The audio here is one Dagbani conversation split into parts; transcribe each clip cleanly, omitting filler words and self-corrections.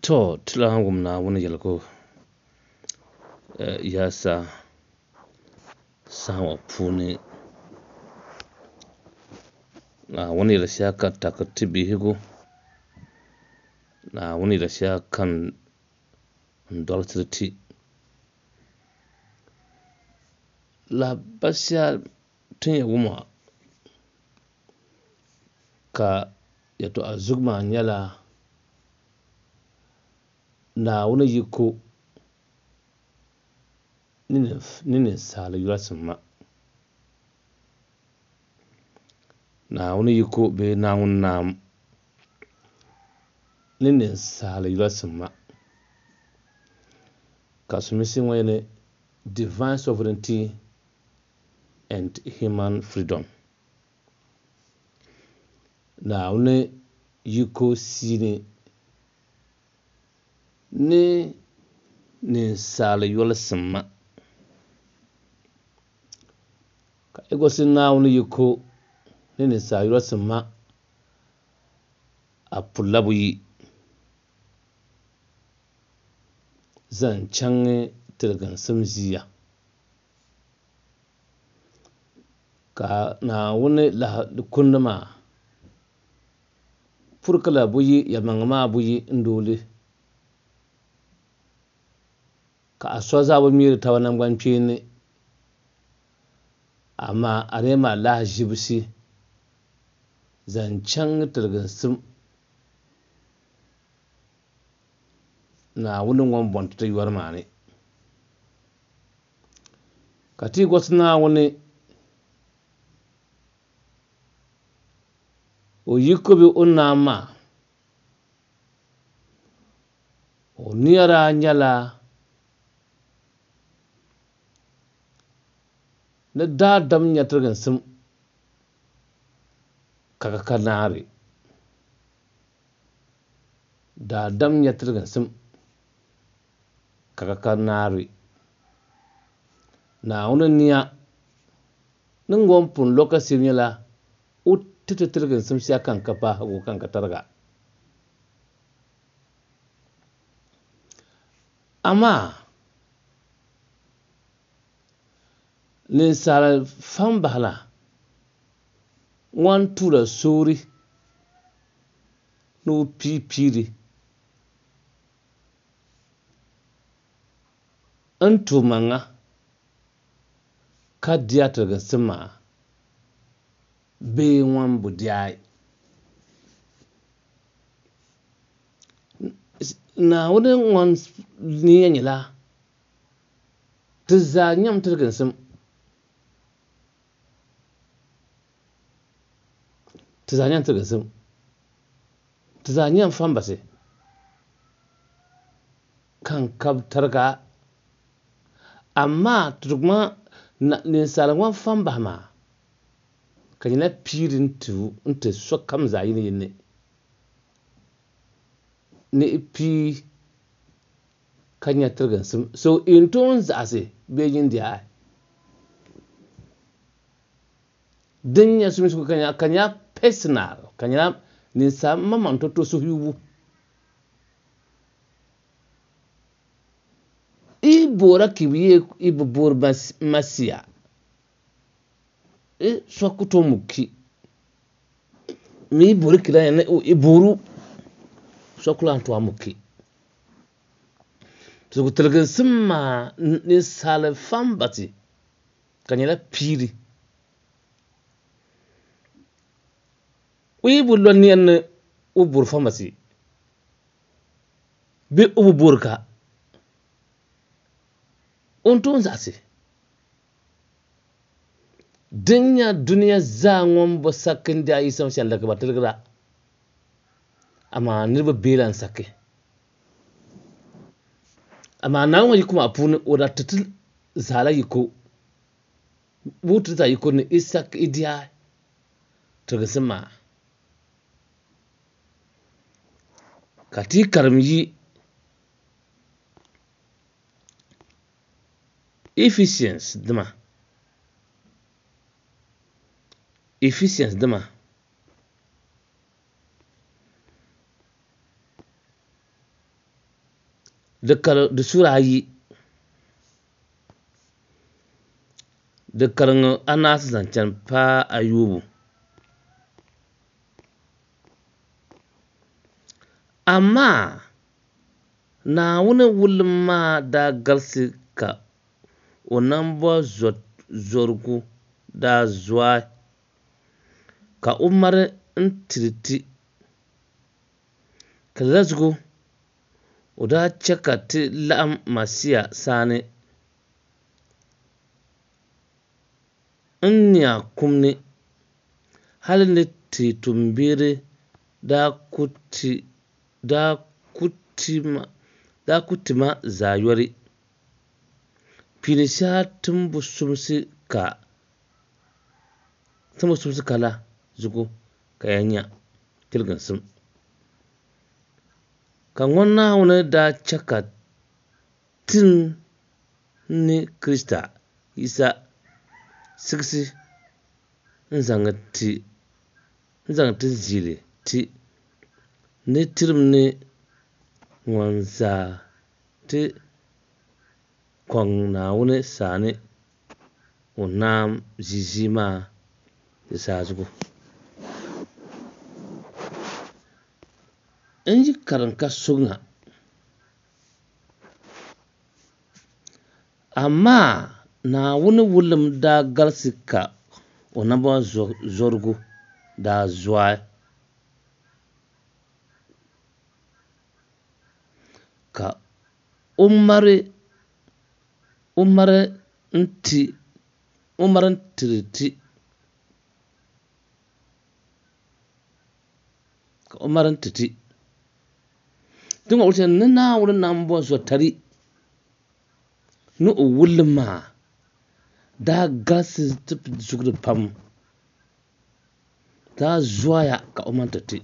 To, ti lahi wum Naawuni yɛligu yaasa saha ŋɔ puuni. Naawuni yɛli shɛli ka taki ti bihigu. Naawuni yɛli shɛli ka n dɔlisiri ti. Lahabali shɛli ti ni yɛn wum ŋɔ ka yɛtɔɣa zugu maa nyɛla Naawuni yiko ni ninsaal yolisim ma. Naawuni yiko bee Naawuni naam ni ninsaal yolisim ma. Ka sulinsi ŋɔ yɛli Divine Sovereignty and Human Freedom. Naawuni yiko siini ni ninsaal yolisim ma. Ka yi gosi Naawuni yiko ni ninsaal yolisim ma, a pulila buyi zaŋ chaŋ tiliginsim ʒiya. Ka Naawuni lahi kundi maa puri ka la buyi yɛlimaŋli maa buyi n-dooli ka a soli zaa bi ŋmeeri taba naŋgbankpeeni, amaa a di yɛn mali lahaʒibisi zaŋ chaŋ tiliginsim Naawuni ŋun bɔŋ ti ti yɔri maa ni. Ka ti yi gɔsi Naawuni o yiko bee o naam maa, o nia daa nyɛla ni daadam nya tiriginsim ka ka ka naari. Daadam nya tiriginsim ka ka ka naari. Naawuni nia ni ŋɔ pun lo ka shiri nyɛla o ti ti tiriginsim shɛli ka n ka paahigu ka n ka tariga. Amaa ninsal fambahila ŋɔn tuula soori ni o pii piiri n-ti o maŋa ka di a tiliginsim maa bee ŋɔn bi di a. Naawuni ŋɔn nia nyɛla ti zaa nyam tiliginsim. Ti zaa nyam tiliginsim. Ti zaa nyam fambasi ka n kab tariga. Amaa ti ninsal ŋɔn fambahi maa ka nyɛla piiri n-ti sokam zaa yini yini ni pii ka nya tiliginsim. So n tooi zaɣisi bee nyin di a. Din nyɛ sulinsi ka nyɛla ka nyɛla personal ka nyɛla ninsal maŋmaŋ to suhuyubu. I boora ka i yee i bi boori Masia, i so ku tooi muki. Mi i boori ki la i booru so ku lahi tooi muki. Zuɣu tiliginsim maa ninsal fambati ka nyɛla piiri. O yi bi lo nia ni o boori fambati bee o bi boori ka, o ni tooi zaɣisi. Din nya dunia zaa ŋun bi saki n-di a Yisa Masia n-laki ba tiligira, amaa niriba bee la n-saki. Amaa Naawuni ŋɔ yiko maa puuni o daa ti ti zaa la yiko, bɛ ti zaa yiko ni i saki i di a tiliginsim maa. Ka ti karim yi Ephesians dima, Ephesians dima Di kari di suura ayi. Di kariŋ anaasi zaŋ chani paai ayoobu. Amaa Naawuni wulim maa daa galisi ka o nambɔzɔrigu daa zɔai, ka o mari n-tiri ti. Ka lala zuɣu o daa chɛ ka ti laɣim Masia saani n-nya kum ni, hal ni ti tuumbiɛri daa ku ti maa zaa yoli. Pini shɛli timbu sumsi ka la zuɣu ka ya nya tiliginsim. Ka ŋɔ Naawuni daa chɛ ka tin ni Krista Yisa siɣisi n-zaŋ ti ziili ti ni tirim ni ŋɔ zaa ti kɔŋ Naawuni saani o naam ʒii maa di zaa zuɣu. N yi karim ka so ŋa, amaa Naawuni wulim daa galisi ka o nambɔzɔrigu daa zɔai, ka o mari n-tiri ti. Ka o mari n-ti ti. Ti ŋɔ wuhi ni Naawuni nambɔzɔtali ni o wulim maa daa galisi ti zuɣuri pam, daa zɔya ka o mari ti ti.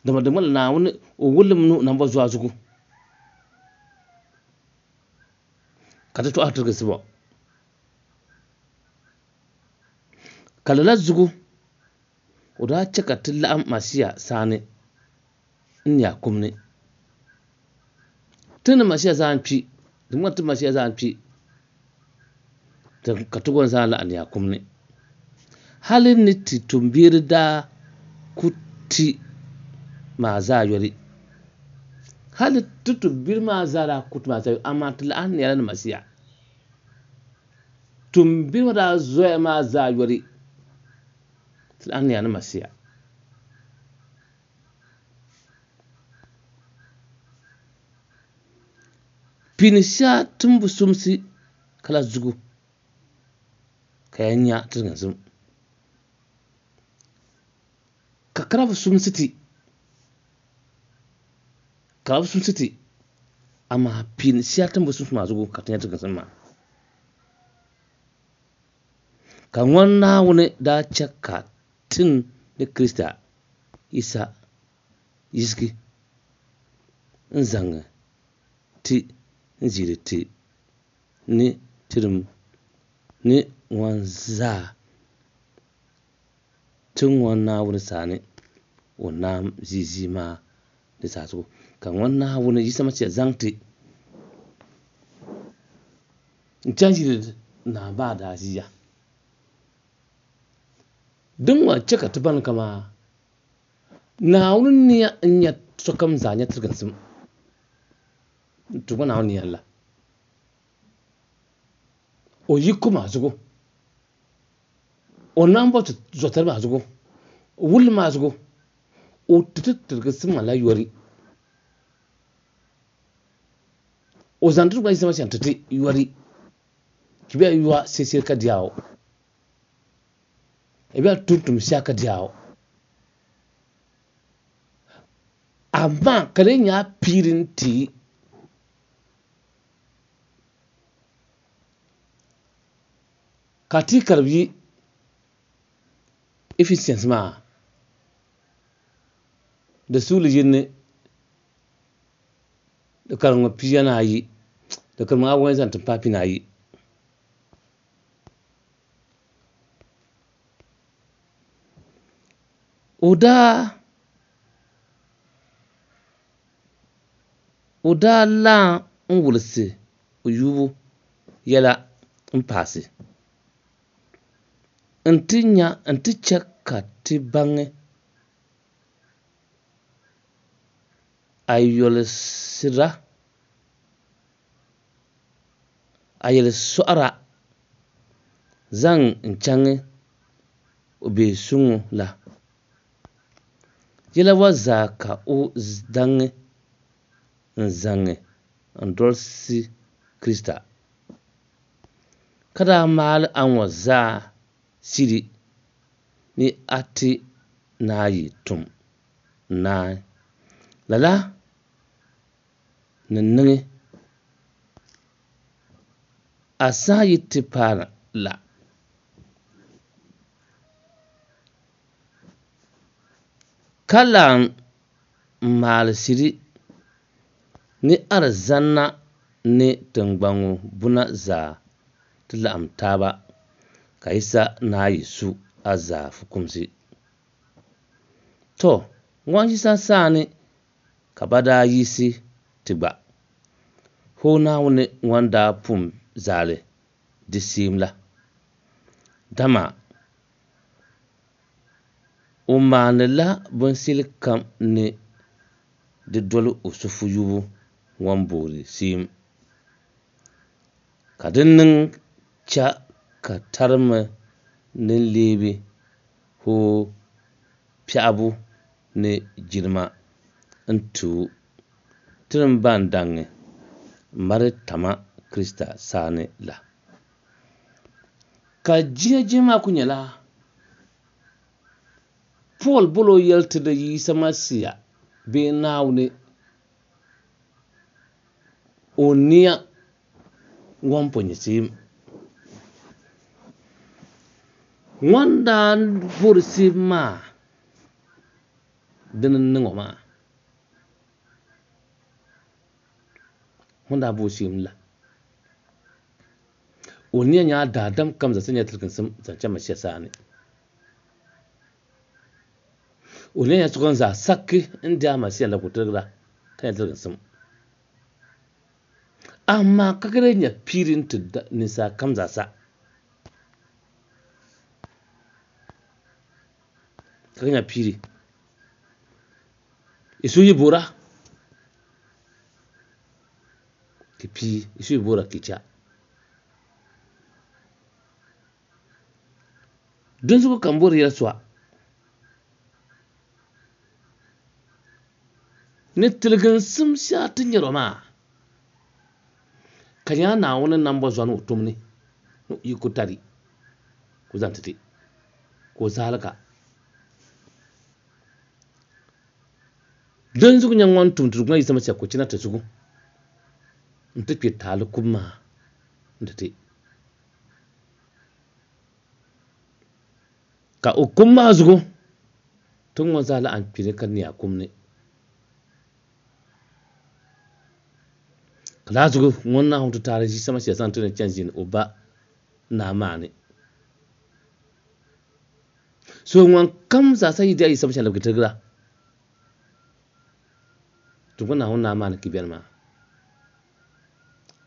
Dama di ŋmanila Naawuni o wulim ni o nambɔzɔa zuɣu ka ti tɔɣiri tiriginsi bɔ. Ka lala zuɣu o daa chɛ ka ti laɣim Masia saani n-nya kum ni. Ti ni Masia zaa n-kpi, di ŋmani ti Masia zaa n-kpi, ka ti gba zaa laɣim nya kum ni. Hali ni ti tuumbiɛri daa ku ti maa zaa yoli. Hali ti tuumbiɛri maa zaa daa ku ti maa zaa yoli, amaa ti laɣim nyɛla ni Masia. Tuumbiɛri maa daa zoya maa zaa yoli, ti laɣim nyɛla ni Masia. Pini shɛli timbu sumsi ka la zuɣu ka ya nya tiriginsim. Ka karabu sumsi ti, karabu sumsi ti, amaa pini shɛli timbu sumsi maa zuɣu ka ti nya tiriginsim maa. Ka ŋɔ Naawuni daa chɛ ka tin ni Krista Yisa yiɣisi n-zaŋ ti n-ziiri ti ni tirim ni ŋɔ zaa ti ŋɔ Naawuni saani o naam ʒii maa di zaa zuɣu. Ka ŋɔ Naawuni Yisa Masia zaŋ ti n-chaŋ ʒiri naa maa daa ʒiya. Din ŋɔ chɛ ka ti baŋ kamaa Naawuni nia n-nyɛ sokam zaa nya tiriginsim. Ti gba Naawuni nia n-la. O yiko maa zuɣu, o nambɔ zɔtali maa zuɣu, o wulli maa zuɣu, o ti ti tiriginsim maa la yɔri. O zaŋ ti gba Yisa Masia n-ti ti yɔri. Ti bɛ yɔa seseri ka diao. I bɛ tumtum shɛli ka diao. Amaa ka di nyɛ a piiri n-ti ka ti karibu yi Ephesians maa di suuli yini di kariŋ pia ni ayi di kariŋ awɔi zaŋ ti paai pia ni ayi. O daa O daa lan n-wulisi o yubu yɛla m-paasi nti chɛ ka ti baŋ a yɛlisɔɣira zaŋ n-chaŋ o biɛhisuŋ la. Yɛla ŋɔ zaa ka o daŋ n-zaŋ n-dolisi Krista, ka daa maali a ŋɔ zaa shiri ni a ti naayi tum naai. Lala ni niŋ a saha yi ti paai la. Ka lan maali shiri ni arizana ni tiŋgbani ŋɔ buna zaa ti laɣim taaba ka Yisa naayi su a zaa fukumsi. Tɔ! Ŋɔ Yisa saani ka ba daa yiɣisi ti gba. Hoo Naawuni ŋɔn daa pun zali di seem la, dama o maanila binshɛlikam ni di doli o suhuyubu ŋɔn boori seem, ka di niŋ cha ka tarimi ni leebi hoo piɛɣibu ni jilima n-ti o tinim ban daŋ m-mali tama Krista saani la. Ka jihijihi maa kuli nyɛla Pool bol o yɛli ti ni Yisa Masia bee Naawuni o nia ŋɔn po nyɛ seem. Ŋɔn daa bori seem maa dini n-niŋ o maa. Ŋɔn daa bo seem la. O nia nyɛla daadam kam zaa sa nyɛla tiliginsim zaŋ chaŋ Masia saani. O nia nyɛla sokam zaa sakki n-di a Masia la ka o tiligira ka nya tiliginsim. Amaa ka ka lee nya piiri n-ti ninsal kam zaa sa. Ka ka nya piiri. I suhu yi boora ki pii, i suhu yi boora ki cha. Dinzuɣu ka m bori yɛli so a ni tiliginsim shɛli ti nyɛri o maa, ka nyɛla Naawuni nambɔzɔri ni o tum ni ni o yiko tari ka o zaŋ ti ti, ka o zaalika. Dinzuɣu nyɛ ŋɔn tum ti Duuma Yisa Masia ka o chana ti zuɣu nti kpe taali kubu maa nti ti. Ka o kum maa zuɣu, ti ŋɔ zaa laɣim kpini ka nia kum ni. Ka laa zuɣu ŋun Naawuni ti taali Yisa Masia zaŋ ti ni chani ʒini o Ba Naa maa ni. So ŋun kam zaa sa yi di a Yisa Masia labigi tirigira, ti ŋɔ Naawuni Naa maa ni ki beni maa.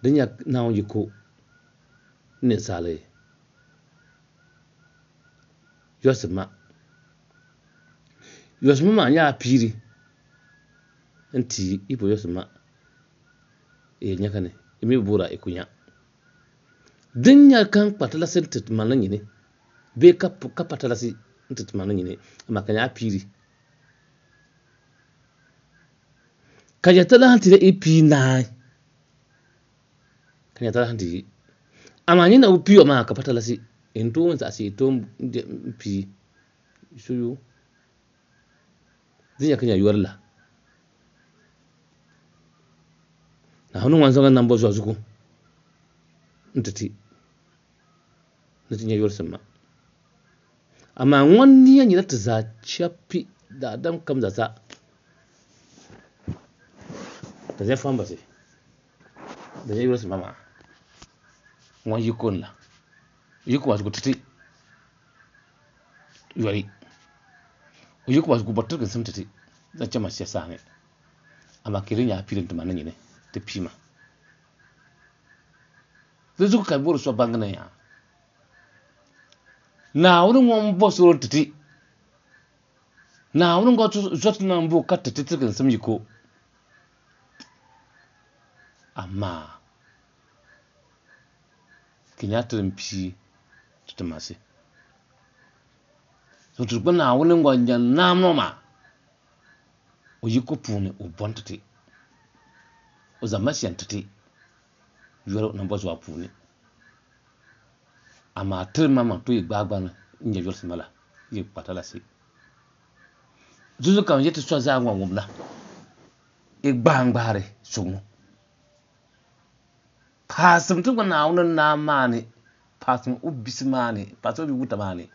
Di nya Naawuni yiko ninsali yɔsim ma. Yɔsim maa nyɛla piiri n-ti yi po yɔsim ma yi nya ka ni yi mi bi boora yi ku nya. Din nya ka n kpa talasi n-ti ti maŋli nyini bee ka pa talasi n-ti ti maŋli nyini amaa ka nyɛla piiri. Ka nyɛ talahi ti yi pii naai ka nyɛ talahi ti yi amaa nyini na bi pii o maa ka pa talasi n tooi zaɣisi n tooi pii suyu di nyɛ ka nyɛ yori la Naawuni ŋun zaŋ nambo zuɣu zuɣu n ti ti ni ti nyɛ yorisim maa amaa ŋun nia nyɛla ti zaa chɛpi daadam kam zaa sa ka zaya fambasi di nyɛ yorisim maa ŋun yiko n la yiko maa zuɣu ti ti yori o yiko maa zuɣu bɔri tiriginsim ti ti zaŋ chaŋ Masia saha ni. Amaa ka di nyɛ a piili n-ti ma ni nyini ti pii ma. Di zuɣu ka bɔri so baŋ ni yaa Naawuni ŋun bo soro n-ti ti. Naawuni ŋɔ zɔti niŋbu ka ti ti tiriginsim yiko. Amaa ka nya ti din pii ti ti masi. So ti gba Naawuni ŋɔ nya naam ŋɔ maa o yiko puuni o bɔn ti ti. O zaŋ Masia n-ti ti yoli o nambɔzɔa puuni. Amaa tiri maŋmaŋ tooi gbaai gbani n-nya yɔlisima la yi kpa talasi. Zuzu kam yi ti so zaa ŋɔ ŋubila, yi gbaangbaari so ŋɔ. Paasim ti gba Naawuni naa maa ni, paasim o bisi maa ni, paasim o bi wuta maa ni,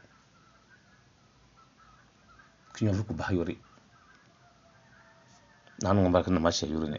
ka nyɔvili ku bahi yori. Naawuni ŋun barika niŋ ma shɛli yuri ni.